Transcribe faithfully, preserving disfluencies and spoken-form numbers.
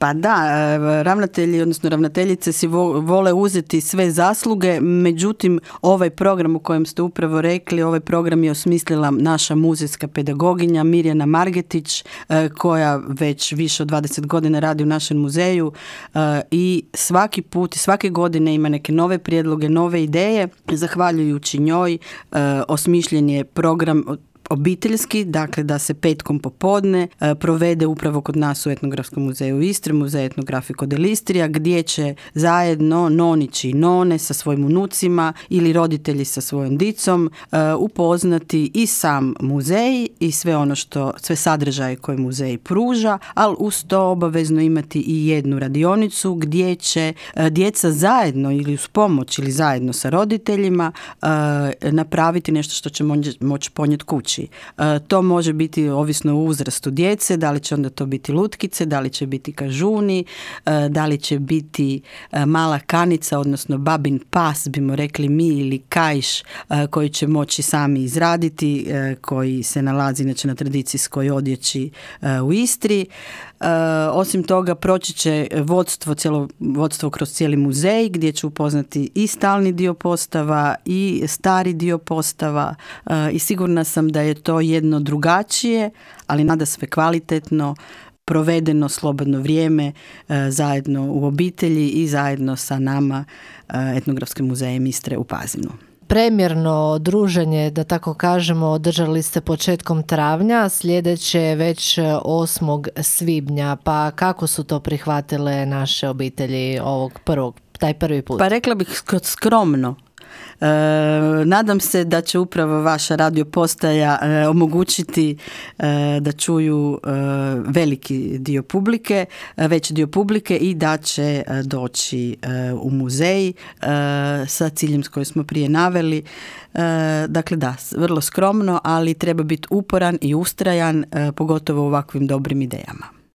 Pa da, ravnatelji, odnosno ravnateljice si vole uzeti sve zasluge, međutim ovaj program u kojem ste upravo rekli, ovaj program je osmislila naša muzejska pedagoginja Mirjana Margetić, koja već više od dvadeset godina radi u našem muzeju i svaki put i svake godine ima neke nove prijedloge, nove ideje. Zahvaljujući njoj osmišljen je program obiteljski, dakle da se petkom popodne e, provede upravo kod nas u Etnografskom muzeju Istre, Muzej etnografiko dell'Istria, gdje će zajedno nonići i none sa svojim unucima ili roditelji sa svojom dicom e, upoznati i sam muzej i sve ono što, sve sadržaje koje muzej pruža, ali uz to obavezno imati i jednu radionicu gdje će e, djeca zajedno ili uz pomoć ili zajedno sa roditeljima e, napraviti nešto što će moći ponijeti kući. To može biti ovisno o uzrastu djece, da li će onda to biti lutkice, da li će biti kažuni, da li će biti mala kanica, odnosno babin pas, bimo rekli mi, ili kajš koji će moći sami izraditi, koji se nalazi inače na tradicijskoj odjeći u Istri. Uh, osim toga proći će vodstvo, cijelo, vodstvo kroz cijeli muzej gdje će upoznati i stalni dio postava i stari dio postava uh, i sigurna sam da je to jedno drugačije, ali nada sve kvalitetno provedeno slobodno vrijeme uh, zajedno u obitelji i zajedno sa nama uh, Etnografskim muzejem Istre u Pazinu. Premjerno druženje, da tako kažemo, održali ste početkom travnja, sljedeće već osmog svibnja, pa kako su to prihvatile naše obitelji ovog prvog, taj prvi put? Pa rekla bih skromno. E, nadam se da će upravo vaša radio postaja e, omogućiti e, da čuju e, veliki dio publike, e, veći dio publike i da će e, doći e, u muzej e, sa ciljem s kojim smo prije naveli. E, dakle da, vrlo skromno, ali treba biti uporan i ustrajan, e, pogotovo u ovakvim dobrim idejama.